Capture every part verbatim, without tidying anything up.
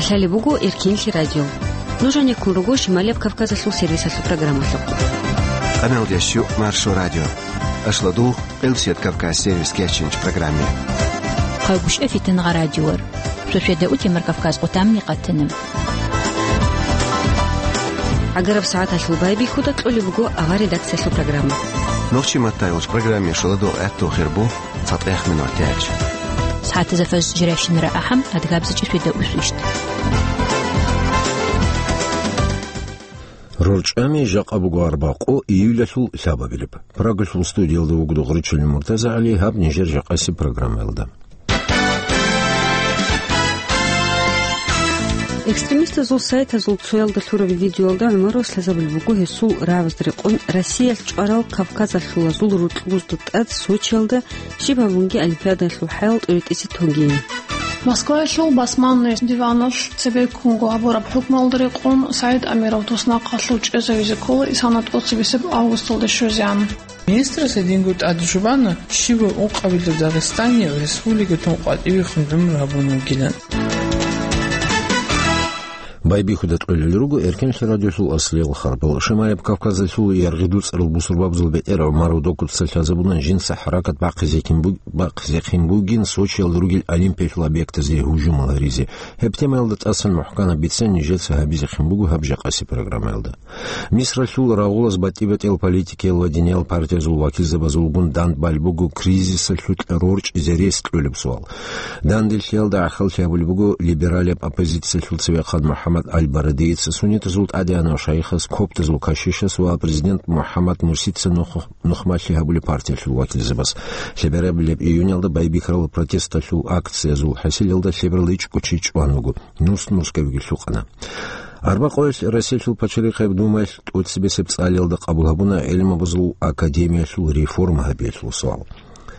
Лъалеб буго Эркинлъи радио. Нуж гьанеккун руго Шималияб Кавказалъул сервисалъул программалъухъ. Къаналдеш ю Маршо радио. Ашладул, Къилсият Кавказ сервис кечинч программе. Хъайгушев Фитнагъа радиор. Сосведа утемар Кавказ къутамни къатана. Агараб сагӀаталъул байбихьуда кьолеб буго авар редакциялъул программа. Нохчи маттайулч программе шуладул гӀатту хирбу. ЦатӀех минут тяч. СагӀатазда фаз жиращинара ахӀам, адгабзачи светда усвищт. РорчӀами жакъа буго арбакъо июлалъул лъабабилеб. Прагалъул студиялда вугода Гъурччалин МуртазагӀали, гьаб нижер жакъасеб программаялда. Экстремистазул сайтазул цоялда лъураб видеоялда ГӀумаров лъазабулеб буго гьесул рагӀабазда рекъон Россиялъ чӀварал кавказалъулазул рукьбузда тӀад Сочиялда щиб гьабунги Олимпиадаялъул хӀаял тӀоритӀизе тогейин. Москваялъул басманный диваналъ цебеккунго гьабураб хӀукмуялда рекъон Саид Амиров туснахъалъув чӀезавизе ккола исана тӀоцебесеб августалда щвезегӀан. Министрас гьединго тӀаде щвана, щибаб ункъабилеб Дагъистанияв республикатун къватӀивехун гӀумру гьабун вугилан. Байбихьуда кьолел руго Эркинлъи радиолъул аслиял харбал. Шималияб Кавказалъул яргъи дуцӀарал бусурбабазул бетӀер ГӀумаров Докуца лъазабуна жинца хӀаракат бахъизехин буг-, бахъизехин бугин Сочиялда ругел Олимпиялъул объектазде гьужумал гьаризе. Гьеб темаялда тӀасан мухӀканаб бицен нижеца гьабизехин буго гьаб жакъасеб программаялда. Мисралъул рагъулаз батӀи-батӀиял политикиял ва диниял партиязул вакилзабазулгун дандбал буго кризисалъукьа рорчӀизе рес кьолеб суал. Данделъиялда гӀахьаллъи гьабулеб буго либералияб оппозициялъул цевехъан МухӀаммад Аль-Барадиец, суннитазул тӀадегӀанав шайихас, коптазул кашишас ва президент МухӀаммад Мурсица нух-, нухмалъи гьабулеб партиялъул вакилзабаз. Лъеберабилеб июнялда байбихьарал протесталъул акциязул хӀасилалда лъеберал ичӀго чи чӀван вуго, нус-нускавиги лъукъана. Арбакъоялъ Россиялъул пачалихъеб Думаялъ тӀоцебесеб цӀалиялда къабул гьабуна гӀелмабазул академиялъул реформа гьабиялъул суал.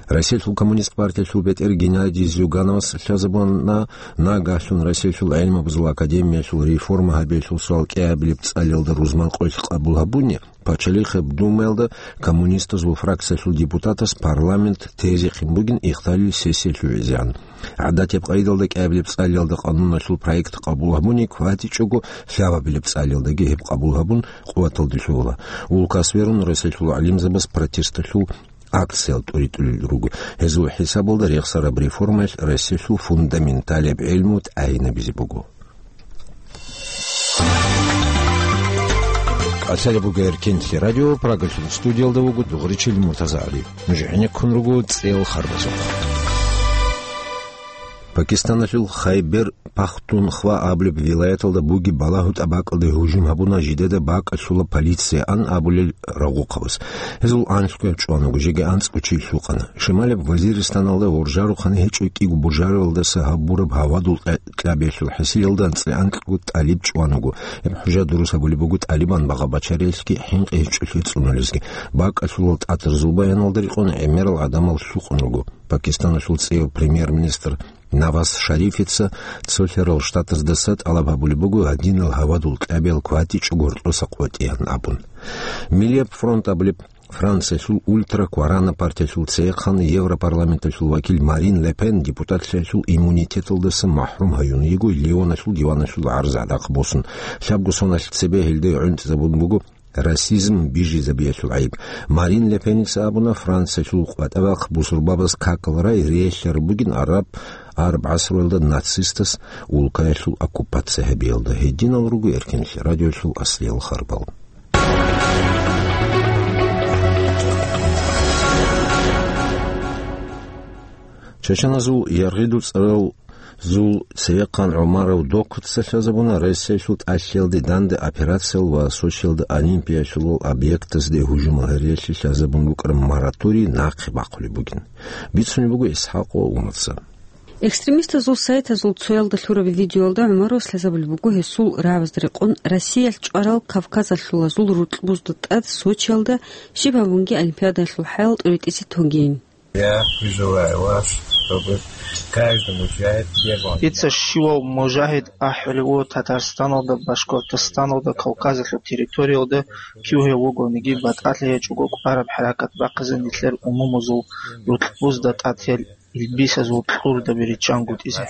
Россиялъул коммунист партиялъул бетӀер Геннадий Зюгановас лъазабуна, нагагьлъун Россиялъул гӀелмабазул академиялъул реформа гьабиялъул суал кӀиабилеб цӀалиялда рузман къоялъ къабул гьабуни, пачалихъеб Думаялда коммунистазул фракциялъул депутатас парламент тезехъин бугин ихталил сессия лъугӀизегӀан. ГӀадатияб къайдалда кӀиабилеб цӀалиялда къануналъул проект къабул гьабуни кватӀичӀого, лъабабилеб цӀалиялдаги гьеб къабул гьабун къуваталде лъугьула. Улкас верун Россиялъул гӀалимзабаз протесталъул акциял тӀуритӀулел руго. Гьезул хӀисабалда рехсараб реформаялъ Россиялъул фундаменталияб гӀелму тӀагӀинабизе буго. Лъалеб буго Эркинлъи радио, Прагалъул студиялда вуго Дугъричил МуртазагӀали. Нуж гӀенеккун руго цӀел харбазухъ. Пакистаналъул Хайбер Пахтунхва абулеб вилаяталда бугеб балагьу тӀабакӀалде гьужум гьабуна жидеда бакӀалъула полиция ан абулел рагъухъабаз. Гьезул анлъго чӀван вуго, жеги анцӀго чи лъукъана. Шималеб Вазиристаналда гъоржарухъани гьечӀо кӀиго бужаралдаса гьабураб гьавадул кьа-, кьабиялъул хӀасилалда анцӀила анкьго тӀалиб чӀван вуго. Гьеб хӀужа дурус гьабулеб буго тӀалибан багъа бачариялъги хӀинкъи гьечӀолъи цӀунулезги. БакӀалъулал тӀатарзул баяналда рекъон гӀемерал гӀадамал лъукъун руго. Пакистаналъул цӀеяв премьер-министр Наваз Шарифица цолъарал штатаздаса тӀалаб гьабулеб буго гьадинал гьавадул кьабиял кватӀичӀого гьоркьоса къотӀеян абун. Миллияб фронт абулеб Франциялъул ультра-кварана партиялъул цеяхъан Европарламенталъул вакил Марин Ле Пен депутатлъиялъул иммунитеталдаса махӀрум гьаюн йиго Лионалъул диваналъул гӀарз гӀадахъ босун. Лъабго соналъ цебе гьелде гӀунтӀизабун буго расизм бижизабиялъул гӀайиб. Марин Ле Пеница абуна, Франциялъул къватӀа вахъ бусурбабаз какал рай релълъараб бугин араб, араб гӀасруялда нацистас улкаялъул оккупация гьабиялда. Гьединал руго Эркинлъи радиоялъул аслиял харбал. Чачаназул яргъиду цӀарал Зул цевехъан ГӀумаров Докуца лъазабуна Россиялъул тӀалъиялде данде операциял ва Сочиялда Олимпиялъулал объектазде гьужумал гьариялъе лъазабун букӀараб мораторий нахъе бахъулеб бугин. Бицунеб буго ИсхӀакъ ва Умаца. Экстремистазул сайтазул цоялда лъураб видеоялда ГӀумаров лъазабулеб буго гьесул рагӀабазда рекъон Россиялъ чӀварал Кавказалъулазул рукьбузда тӀад Сочиялда щиб гьабунги Олимпиадаялъул хӀаял тӀоритӀизе тогейин. Я призываю вас, чтобы каждый мужчина делал. Дица щивав мужагьид ахӀулев вуго Татарстаналда, Башкортостаналда, Кавказалъул территориялда кив гьев вугониги батӀалъи гьечӀого кӀвараб хӀаракат бахъизе нилъер умумузул рукьбузда тӀад гьел Ритбисазул кьурдаби риччангутӀизе.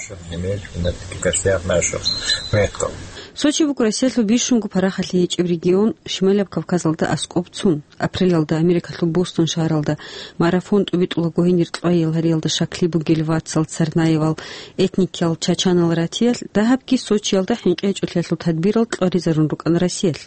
Сочи буго Россиялъул бищунго парахалъи гьечӀеб регион, Шималаб Кавказалда аскӀоб цун. Апрелалда Америкалъул Бостон шагьаралда марафон тӀубитӀулаго гьенир кьвайил гьариялда щаклъи бугел вацал, царнаевал, этникиял чачанал ратиялъ, дагьабги Сочиялда хӀинкъи гьечӀолъиялъул тадбирал кьваризарун рукӀана Россиялъ.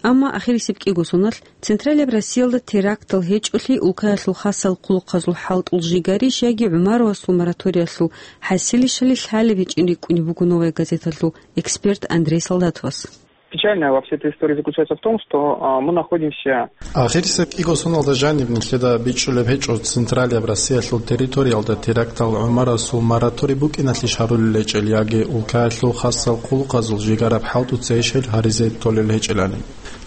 Амма ахирисеб кӀиго соналъ Централияб Россиялда терактал гьечӀолъи улкаялъул хасал хъулухъазул хӀалтӀул жигарищ яги ГӀумаровасул мораториялъул хӀасилищали лъалеб гьечӀин рикӀкӀунеб буго «Новая газеталъул» эксперт Андрей Солдатовас. Печальное во всей этой истории заключается в том, что, а, мы находимся... Ахирисеб кӀиго соналда жаниб нилъеда бичӀчӀулеб гьечӀо Централияб Россиялъул территориялда терактал ГӀумаровасул мораторий букӀиналъищ гьарулел гьечӀел яги улкаялъул хасал хъулухъазул жигараб хӀалтӀуца ишел гьаризе толел гьечӀелани.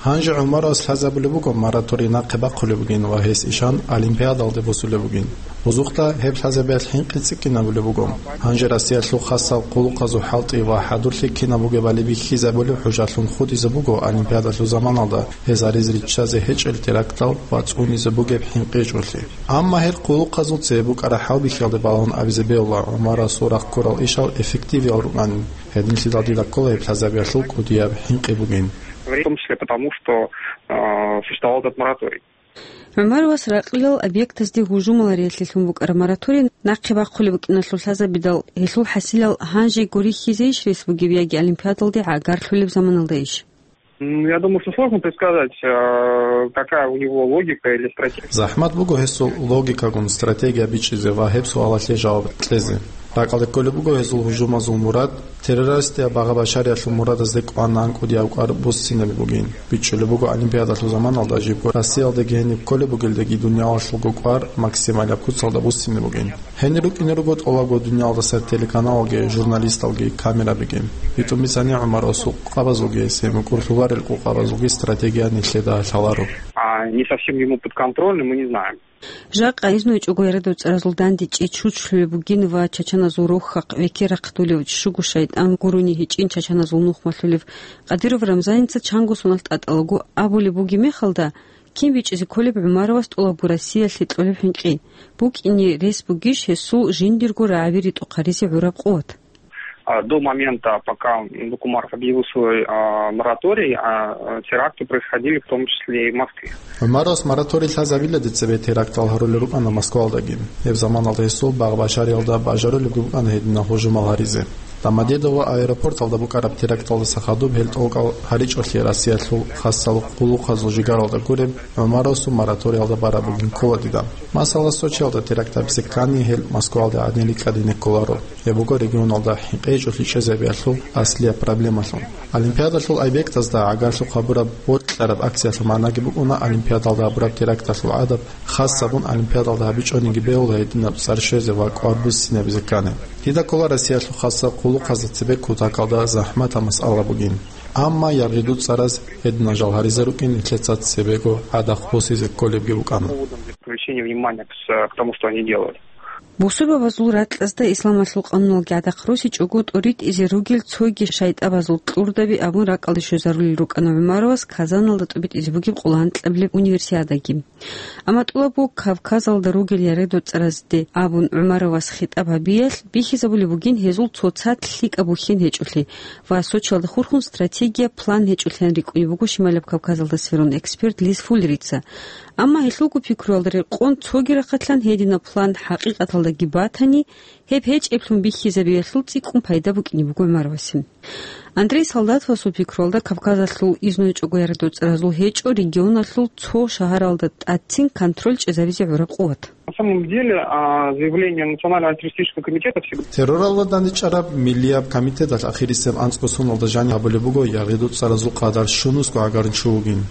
Гьанже ГӀумаровас лъазабулеб буго мораторий нахъе бахъулеб бугин ва гьес ишан Олимпиадалде босулеб бугин. Бузухъа гьеб лъазабиялъ хӀинкъи цӀикӀкӀинабулеб буго. Гьанже Россиялъул хасал хъулухъазул хӀалтӀи ва хӀадурлъи кинаб бугебали бихьизабулеб хӀужалъун хутӀизе буго Олимпиадалъул заманалда гьез гьаризе риччазе гьечӀел терактал ва цӀунизе бугеб хӀинкъи гьечӀолъи. Амма гьел хъулухъазул цебе букӀараб хӀалбихьиялде балагьун абизе бегьула ГӀумаровасул рахъ ккурал ишал эффективиял рукӀанин. Гьединлъидал дида ккола гьеб лъазабиялъул кӀудияб хӀинкъи бугин. В том числе потому, что, э, существовал этот мораторий. ГӀумаровас ракьилал объектазде гьужумал гьариялъе лъун букӀараб мораторий нахъе бахъулеб букӀиналъул лъазабидал, гьелъул хӀасилал гьанжего рихьизейищ рес бугеб яги Олимпиадалде гӀагарлъулеб заманалдайищ? М, я думаю, что сложно предсказать, э, какая у него логика или стратегия. ЗахӀмат буго гьесул логикагун стратегия бичӀчӀизе ва гьеб суалалъе жаваб кьезе. РакӀалде кколеб буго гьезул гьужумазул мурад, террористияб багъа-башариялъул мурадазде кӀванан кӀудияб кӀвар буссинаб бугин. БичӀчӀулеб буго Олимпиадалъул заманалда жибго Россиялдаги гьениб кколеб бугелдаги дунялалъулго кӀвар максималаб куцалда буссине бугин. Гьенир рукӀине руго тӀолабго дуниялалдаса телеканалалги, журналисталги, камерабиги. БитӀун бицани, ГӀумаровасул къабазулги, гьесие мукӀурлъуларел къукъабазулги стратегия нилъеда лъаларо. А не совсем ему подконтрольны, мы не знаем. Жакъа изну гьечӀого яридав цӀаразул дандечӀи чучлъулеб бугин ва чачаназул рохьахъ векер рахъдулев чӀужуго шайтӀан гурони гьечӀин чачаназул нухмалъулев Къадиров Рамзаница чанго соналъ тӀатӀалаго абулеб бугеб мехалда, кин бичӀчӀизе кколеб ГӀумаровас тӀолабго Россиялъе кьолеб хӀинкъи? БукӀине рес бугищ гьесул жиндирго рагӀаби ритӀухъ гьаризе гӀураб къуват? А, до момента, пока Бакумаров объявил свой, а, мораторий, а, а, теракты происходили в том числе и в Москве. ГӀумаровас мораторий лъазабилади цебе терактал гьарулел рукӀана Москвалдаги. Гьеб заманалда гьесул багъ-башариялда бажарулебги букӀана гьединал гьужумал гьаризе. Домодедово аэропорталда букӀараб теракталдаса хадуб гьел тӀокӀал гьаричӀолъи Россиялъул хасал хъулухъазул жигаралда гуреб ГӀумаровасул мораториялда бараб бугин ккола дида. Масала, Сочиялда теракт гьабизе ккани, гьел Москвалде гӀадин рикӀкӀадине кколаро. Гьеб буго регионалда хӀинкъи гьечӀолъи чӀезабиялъул аслияб проблемалъун. Олимпиадалъул объектазда гӀагарлъухъ гьабураб бокьараб акциялъул магӀнаги букӀуна Олимпиадалда гьабураб теракталъул гӀадаб хас гьабун Олимпиадалда гьабичӀониги бегьула гьединаб цӀар щвезе ва кӀвар буссинабизе ккани. Дида ккола Россиялъул хасал хъулухъазда цебе кутакалда захӀматаб масъала бугин. Амма яргъи дуцӀараз гьединал жал гьаризе рукӀин нилъеца цебего гӀадахъ босизе кколебги букӀана. Привлечение внимания к с-, к тому, что они делали. Бусурбабазул ракьазда исламалъул къануналги гӀадахъ росичӀого тӀоритӀизе ругел цоги шайтӀабазул кьурдаби абун ракӀалде щвезарулел рукӀана ГӀумаровас Казаналда тӀубитӀизе бугеб къулгьанкьаблъи универсиадаги. Амма тӀолабго Кавказалда ругел яридав цӀаразде абун ГӀумаровас хитӀаб гьабиялъ бихьизабулеб бугин гьезул цоцазда лъикӀаб бухьен гьечӀолъи ва Сочиялда хурхун стратегия, план гьечӀолъиялъ рикӀкӀунеб буго Шималаб Кавказалда сверун эксперт Лиз Фуллерица. Амма гьелъулго пикруялда рекъон цоги рахъалъан гьединаб план хӀакъикъаталдаги батани, гьеб гьечӀеблъун бихьизабиялъул цӀикӀкӀун пайда букӀине буго ГӀумаровасе. Андрей Солдатовасул пикруялда, Кавказалъул изну гьечӀого яридав цӀаразул гьечӀо регионалъул цо шагьаралда тӀадцин контроль чӀезабизе гӀураб къуват. На самом деле, а, заявление Национального антитеррористического комитета всегда... Терроралда дандчӀвараб миллияб комитеталъ ахирисеб анцӀго соналда жаниб гьабулеб буго яридав цӀаразул къадар щунусго гӀагарин чу вугин.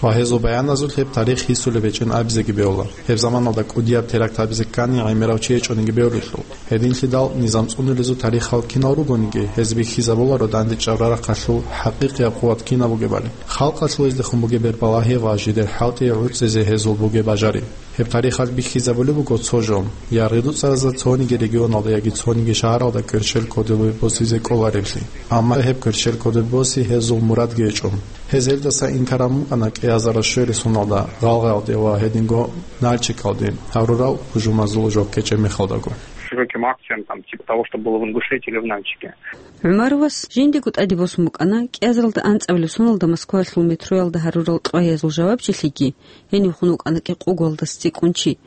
Ва гьезул баяназулъ гьеб тарих гьисулеб гьечӀин абизеги бегьула. Гьеб заманалда кӀудияб теракт гьабизе ккани гӀемерав чи гьечӀониги бегьулелъул. Гьединлъидал низам цӀунулезул тарихал кинал ругониги, гьез бихьизабуларо дандчӀвараб рахъалъул хӀакъикъияб къуват кинаб бугебали. Халкъалъул гьездехун бугеб бербалагьи ва жидер хӀалтӀи гӀуцӀизе гьезул бугеб бажари. Гьеб тарихалъ бихьизабулеб буго цо жо: яридав цӀаразда цониги регионалда яги цониги шагьаралда кверщел кодобе босизе кӀолареблъи. Амма гьеб кверщел кодобе боси гьезул мурадги гьечӀо. Гьез гьелдаса инкараб букӀана кӀиазарал щверисуналда, Гъалгъаялде ва гьединго Нальчикалде гьарурал гьужумазул жо ккечӀеб мехалдаго. широким акциям, там, типа того, что было в Ингушетии или в Нальчике. ГӀумаровас жиндего тӀаде босун букӀана кӀиазаралда анцӀабилеб соналда Москваялъул метроялда гьарурал кьвагьиязул жавабчилъиги, гьенив хун вукӀана кӀикъугоялдаса цӀикӀкӀун чи.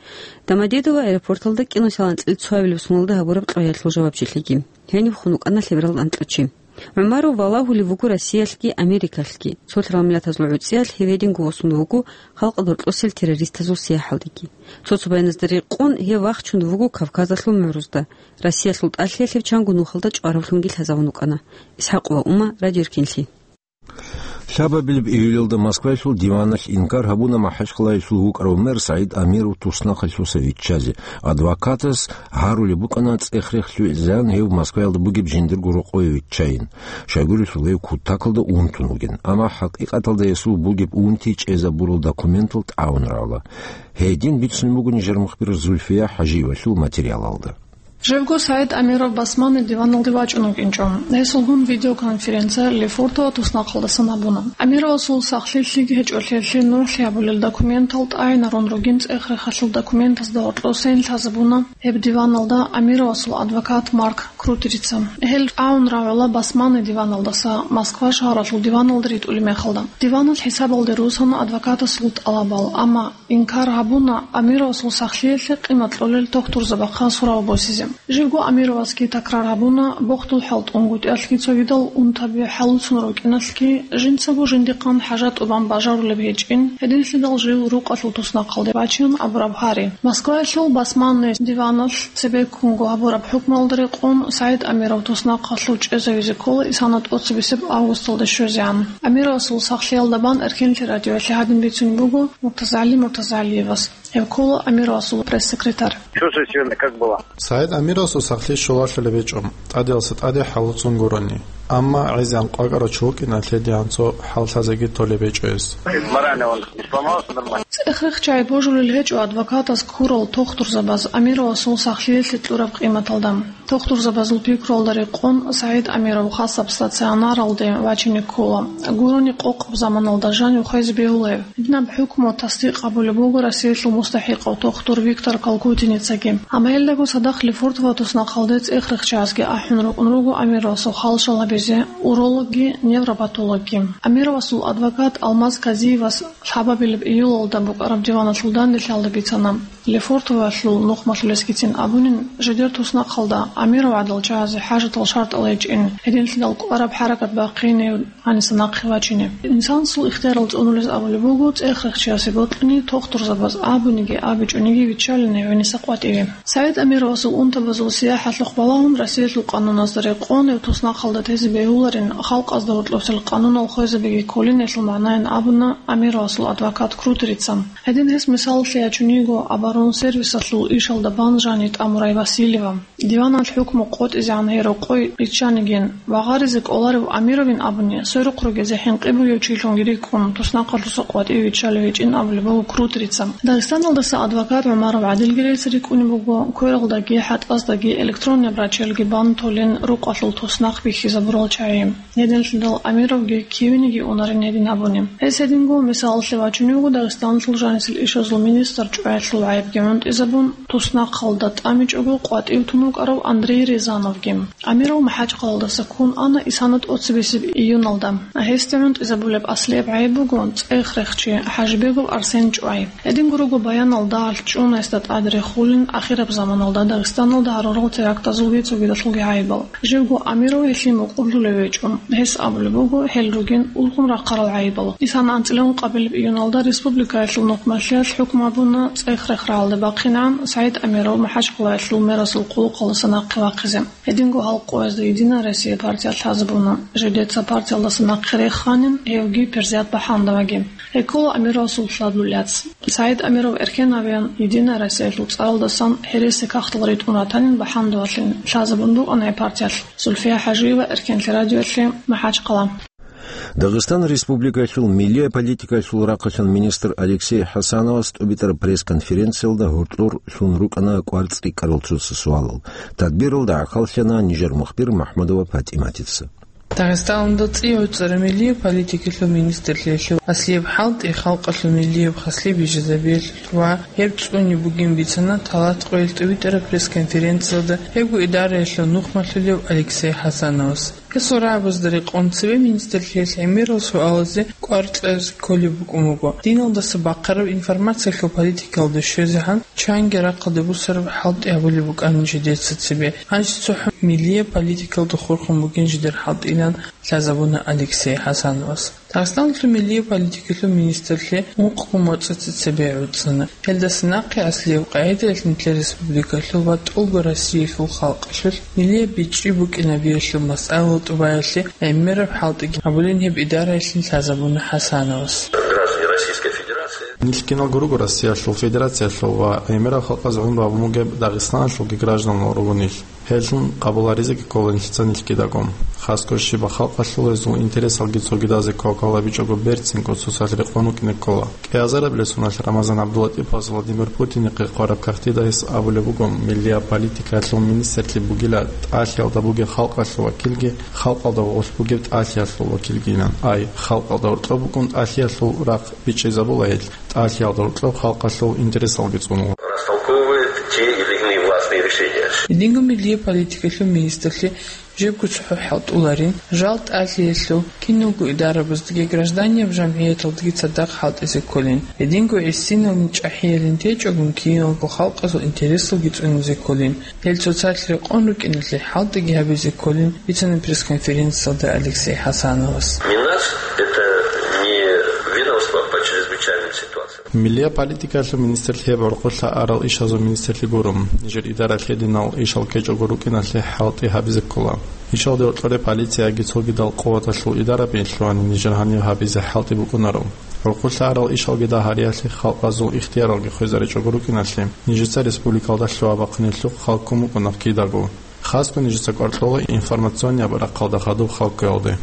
Домодедово аэропорталда кӀиго соналда анцӀила цоабилеб соналда гьабураб кьвагьиялъул жавабчилъиги, гьенив хун вукӀана лъебералда анкьа чи. ГӀумаров валагьулев вуго Россиялъги Америкалъги, цо лъалмилатазул гӀуцӀиялъ гьев гьединго восун вуго халкъалда гьоркьосел террористазул сияхӀалдеги. Цо-цо баяназда рекъон, гьев вахчун вуго Кавказалъул мугӀрузда, Россиялъул тӀалъиялъе чанго нухалда чӀваравлъунги лъазавун вукӀана. ИсхӀакъова Ума, Радио Эркинлъи. Лъабабилеб июлалда Москваялъул диваналъ инкар гьабуна МахӀачхъалаялъул вукӀарав мэр СагӀид Амиров туснахъалъуса виччазе. Адвокатас гьарулеб букӀана цӀех-рех лъугӀизегӀан гьев Москваялда бугеб жиндирго рокъове виччайин. Щайгурелъул гьев кутакалда унтун вугин, амма хӀакъикъаталда гьесул бугеб унти чӀезабурал документал тӀагӀун равла. Гьедин бицун буго нижер мухбир Зульфия ХӀажиевалъул материалалда. Жибго СагӀид Амиров Басманный диваналде вачӀун вукӀинчӀо. Гьесулгун видеоконференция Лефортово туснахъалдасан гьабуна. Амировасул сахлъи лъиги гьечӀолъиялъе нугӀлъи гьабулел документал тӀагӀинарун ругин цӀех-рехалъул документазда гьоркьосейин лъазабуна гьеб диваналда Амировасул адвокат Марк Крутерица. Гьел тӀагӀун равила Басманный диваналдаса Москва шагьаралъул диваналда ритӀулеб мехалда. Диванал хӀисабалде русана адвокатасул тӀалабал, амма инкар гьабуна Амировасул сахлъиялъе къимат кьолел тохтурзабахъа сурав босизе. Живго Амировасги такрар гьабуна, бохдул хӀалтӀунгутӀиялъги цогидал унтаби хӀалуцун рукӀиналъги, жинцаго жиндихъан хӀажат тӀубан бажарулеб гьечӀин, гьединлъидал жив рукъалъул туснахъалде бачун абураб гьари. Москваялъул Басманный диваналъ цебеккунго гьабураб хӀукмуялда рекъон СагӀид Амиров туснахъалъув чӀезавизе ккола исана тӀоцебесеб августалда щвезегӀан. Амировасул сахлъиялда бан Эркинлъи радиоялъе гьадин бицунеб буго МуртазагӀали МуртазагӀалиевас. Гьев ккола Амировасул пресс-секретарь. Чувствую себя как было. СагӀид Амировасул сахлъи щолалъулеб гьечӀо, тӀадегӀалса тӀаде хӀалуцун гурони. Амма гӀезегӀан къвакӀарав чи вукӀиналъе дигӀан цо хӀал лъазеги толеб гьечӀо гьес. Морально он не сломался, нормально. ЦӀех-рех чагӀи божулел гьечӀо адвокатас ккурал тохтурзабаз Амировасул сахлъиялъе кьураб къиматалда. Тохтурзабазул пикруялда рекъон СагӀид Амиров хасаб стационаралде вачине ккола. Гурони къокъаб заманалда жанив хвезе бегьула гьев. Гьединаб хӀукму тасдикъ гьабулеб буго Россиялъул мустахӀикъав тохтур Виктор Калкутиницаги. Амма гьелдаго цадахъ Лефортово туснахъалде цӀех-рех чагӀазги ахӀун рукӀун руго Амировасул хал щвалабизе урологги, невропатологги. Амировасул адвокат Алмаз Казиевас лъабабилеб июлалда букӀараб диваналъул данделъиялда бицана. Лефортовоялъул нухмалъулесгицин абунин, жидер туснахъалда Амиров гӀадал чагӀазе хӀажатал шартӀал гьечӀин, гьединлъидал кӀвараб хӀаракат бахъине гьаниса нахъе вачине. Инсанасул ихтиярал цӀунулез абулеб буго, цӀех-рех чиясе бокьани, тохтурзабаз абуниги абичӀониги виччалине гьениса къватӀиве. СагӀид Амировасул унтабазул сияхӀалъухъ балагьун Россиялъул къануназда рекъон гьев туснахъалда тезе бегьуларин, халкъазда гьоркьосел къанунал хвезабиги кколин гьелъул магӀнайин абуна Амировасул адвокат Крутерица. Гьедин гьес мисалалъе ячун йиго оборонсервисалъул ишалда бан жанив тӀамурай Васильева. Диваналъ хӀукму къотӀизегӀан гьев рокъой риччанигин ва гъаризе кӀоларев Амировин абуни, сверухъ ругезе хӀинкъи бугев чилъунги рикӀкӀун, туснахъалъуса къватӀиве виччалев гьечӀин абулеб буго Крутерица. Дагъистаналдаса адвокат ГӀумаров ГӀадилги релълъи рикӀкӀунеб буго, квералдаги, хӀатӀаздаги, электронный обращениеги бан толин рукъалъул туснахъ бихьизабурал чагӀи. Гьединлъидал Амировги кивениги унарин гьедин абуни. Гьес гьединго мисалалъе вачунев вуго Дагъистаналъул жанисел ишазул министр чӀваялъул гӀайибги гӀунтӀизабун, туснахъалда тӀамичӀого къватӀив тун вукӀарав Андрей Рязановги. Амиров МахӀачхъалаялдаса ккун ана исана тӀоцебесеб июналда. Гьесда гӀунтӀизабулеб аслияб гӀайиб буго цӀех-рехчи ХӀажибегов Арсен чӀвай. Гьединго руго баянал дагьалъ чӀун гьесда тӀад рехулин ахираб заманалда Дагъистаналда гьарурал терактазулги цогидалъулги гӀайибал. Живго Амиров гьелъие мукъурлъулев гьечӀо. Гьес абулеб буго, гьел ругин ургъун рахъарал гӀайибал. Исана анцӀила ункъабилеб июналда республикаялъул нухмалъиялъ хӀукму гьабуна цӀех-рех рагӀалде бахъинегӀан СагӀид Амиров МахӀачхъалаялъул мерасул хъулухъалдаса нахъе вахъизе. Гьединго гьал къоязда «Единая Россия» партиялъ лъазабуна, жидеца партиялдаса нахъе реханин гьевги Перзият БахӀандоваги. Гьеккола Амировасул лъабабилеб яц. СагӀид Амиров эркен гьавеян «Единая Россиялъул» цӀаралдасан гьереси кагътал ритӀун ратанин БахӀандовалъин, лъазабун букӀана гьеб партиялъ. Зульфия ХӀажиева, Эркенлъи радиоялъе, МахӀачхъала. Дагъистан Республикаялъул миллия политикаялъул рахъалъан министр Алексей ХӀасановас тӀубитӀараб пресс-конференциялда гьоркьор лъун рукӀана кӀвар цӀикӀкӀарал цоцазул суалал. Тадбиралда гӀахьаллъана нижер мухбир МахӀмудова ПатӀиматица. Дагъистаналда цӀи гӀуцӀараб миллияб политикалъул министрлъиялъул аслияб хӀалтӀи халкъалъул миллияб хаслъи бижизабиялъул ва гьеб цӀуни бугин бицана талат къоялъ тӀибитӀараб пресс-конференциялда гьебго идараялъул нухмалъулев Алексей ХӀасановас. Гьесул рагӀабазда рекъон цебе министрлъиялъ гӀемерал суалазе кӀвар кьезе кколеб букӀун буго. Диналдаса бахъараб информациялъул политикалда щвезегӀан чанги рахъалде бусараб хӀалтӀи гьабулеб букӀанин жидеца цебе. Гьанже цохӀо миллияб политикалда хурхун бугин жидер хӀалтӀилан лъазабуна Алексей ХӀасановас. Дагъистаналъул миллияб политикалъул министрлъи ункъго моцӀица цебе гӀуцӀана. Гьелдаса нахъе аслияб къагӀидаялъ нилъер республикалъул ва тӀолго Россиялъул халкъалъулъ миллияб бичӀчӀи букӀинабиялъул масъалал тӀубаялъе гӀемераб хӀалтӀиги гьабулин гьеб идараялъин лъазабуна ХӀасановас. Граждане Российской Федерации. Нилъ киналго руго Россиялъул Федерациялъул ва гӀемерал халкъаз гӀумру гьабун бугеб Дагъистаналъулги гражданал руго нилъ. Гьелъун къабуларизеги ккола нилъеца нилъ кидаго. Хасго щибаб халкъалъул гьезул интересалги цогидазе квалквалабичӀого берцинго цоцалъ рекъон рукӀине ккола. КӀиазарабилеб соналъ Рамазан ГӀабдуллатӀиповас Владимир Путинихъе хъвараб кагътида гьес абулеб буго, миллияб политикаялъул министрлъи бугила тӀалъиялда бугеб халкъалъул вакилги, халкъалда гъорлъ бугеб тӀалъиялъул вакилгилан. Ай, халкъалда гьоркьоб букӀун тӀалъиялъул рахъ бичӀчӀизабула гьел, тӀалъиялда гьоркьоб халкъалъул интересалги цӀунула. Растолковывает те или иные властные решения. Гьединго миллияб политикалъул министрлъи жибго цохӀо хӀалтӀуларин, жал тӀалъиялъул киналго идарабаздаги гражданияб жамгӀияталдаги цадахъ хӀалтӀизе кколин, гьединго гӀисиналин чӀахӀиялин течӀогун киналго халкъазул интересалги цӀунизе кколин, гьел цоцалъ рекъон рукӀиналъе хӀалтӀиги гьабизе кколин, бицана пресс-конференциялда Алексей ХӀасановас. МИНАС — это не ведомство по чрезвычайным ситуациям. Миллияб политикалъул министрлъи гьеб гӀурхъулъа арал ишазул министрлъи гуро. Нижер идаралъ гьединал ишал ккечӀого рукӀиналъе хӀалтӀи гьабизе ккола. Ишалде гьоркьоре полицияги цогидал къуваталъул идарабиялъувани нижер гьанив гьабизе хӀалтӀи букӀунаро. ГӀурхъулъа арал ишалги дагьариялъе халкъазул ихтияралги хвезаричӀого рукӀиналъе, нижеца республикалда лъугьа-бахъинелъухъ хал ккун букӀуна кидаго. Хасго нижеца кӀвар кьола информационнияб рахъалда хадуб хал кквеялде.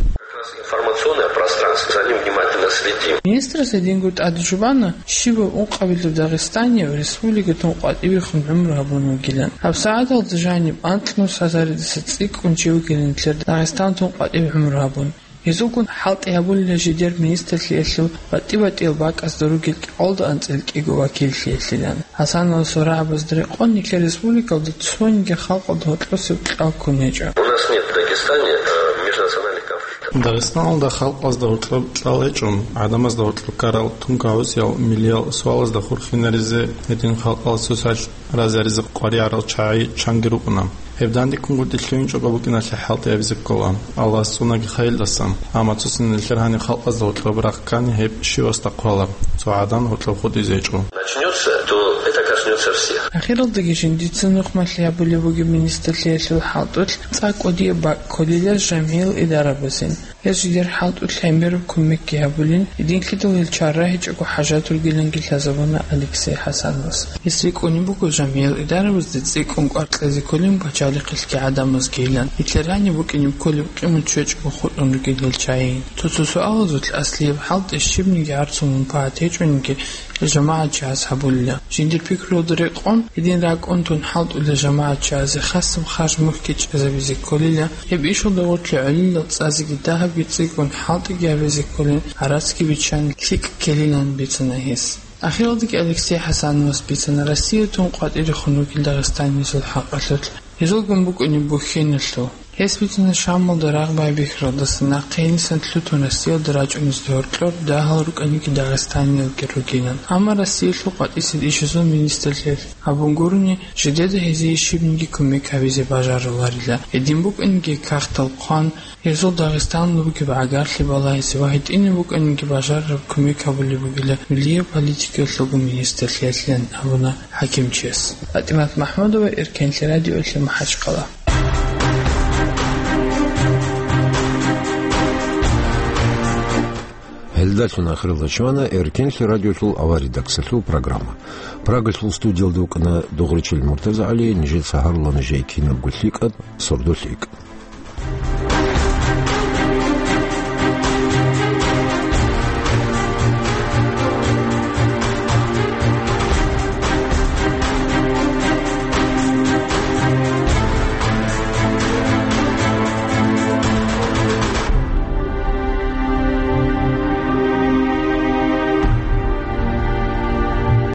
Информационное пространство, за ним внимательно следим. Министрас гьединго тӀаде жубана, щибаб ункъабилеб дагъистанияб республикатун къватӀибехун гӀумру гьабун вугилан. ГьабсагӀаталда жаниб анкьнус гьазаридаса цӀикӀкӀун чи вугилан нилъер Дагъистантун къватӀибе гӀумру гьабун. Гьезулгун хӀалтӀи гьабулила жидер министрлъиялъул батӀи-батӀиял бакӀазда ругел кӀикъоялда анцӀила кӀиго вакиллъиялъилан. ХӀасановасул рагӀабазда рекъон нилъер республикалда цониги халкъалда гьоркьосеб кьал ккун гьечӀо. У нас нет в Дагестане, э, межнациональных конфликтов. Дагъистаналда халкъазда гьоркьоб кьал гьечӀо, гӀадамазда гьоркьоб ккарал тун кагӀусиял миллиял суалазда хурхинаризе гьедин халкъалъ цоцалъ разиаризе къваригӀарал чагӀи чанги рукӀуна. Гьеб дандеккунгутӀи лъугӀинчӀого букӀиналъе хӀалтӀи гьабизе ккола. Аллагьас цӀунаги хайилдаса. Амма цоцин нилъер гьаниб халкъазда гьоркьоб рахъ ккани, гьеб щивасда хъвалар, цо гӀадан гьоркьоб хутӀизе гьечӀо. Начнётся, то это коснётся всех. Ахиралдаги жиндица нухмалъи гьабулеб бугеб министрлъиялъул хӀалтӀулъ цӀакъ кӀудияб бакӀ кколила жамгӀиял идарабазин. Гьез жидер хӀалтӀулъ гӀемераб кумекги гьабулин, гьединлъидал гьел чара гьечӀого хӀажат ругиланги лъазабуна Алексей ХӀасановас. Гьес рикӀкӀунеб буго жамгӀиял идарабазда цӀикӀкӀун кӀвар кьезе кколин пачалихъалъги гӀадамазгийилан, нилъер гьаниб букӀине кколеб къимат щвечӀого хутӀун ругел гьел чагӀи. Цо-цо суалазулъ аслияб хӀалтӀи щибниги гӀарцул мунпагӀат гьечӀониги, гьел жамагӀатчияс гьабулила. Жиндир пикруялда рекъон, гьедин ракӀун тун хӀалтӀулел жамагӀатчиязе хасаб харж мухьги чӀезабизе кколила, гьеб ишалда гъорлъе гӀолилал цӀазеги дагьабги цӀикӀкӀун хӀалтӀиги гьабизе кколин, гӀарацги биччан лъикӀ ккелилан бицана гьес. Ахиралдаги Алексей ХӀасановас бицана Россиятун къватӀирехун ругел дагъистаниязул хӀакъалъулъ, гьезулгун букӀунеб бухьеналъул. Гьес бицана Шамалда рагъ байбихьаралдаса нахъе гьенисан лъутун Россиялда рачӀунезда гьоркьор дагьал рукӀаниги дагъистаниялги ругилан. Амма Россиялъул къватӀисел ишазул министрлъиялъ абун гурони, жидеда гьезие щибниги кумек гьабизе бажаруларила. Гьедин букӀаниги кагътал хъван, гьезул Дагъистаналда бугеб гӀагарлъи балагьизе ва гьитӀинаб букӀаниги бажарараб кумек гьабулеб бугила миллияб политикаялъулго министрлъиялъилан абуна хӀакимчияс. ПатӀимат МахӀмудова, Эркенлъи радиоялъе, МахӀачхъала. Гьелдалъун ахиралда чӀвана Эркенлъи радиолъул аваридаксалъул программа. Прагалъул студиялда вукӀана Дугъричил МуртазагӀали, нижеца гьарула нижее кинабго лъикӀаб, сордо лъикӀ.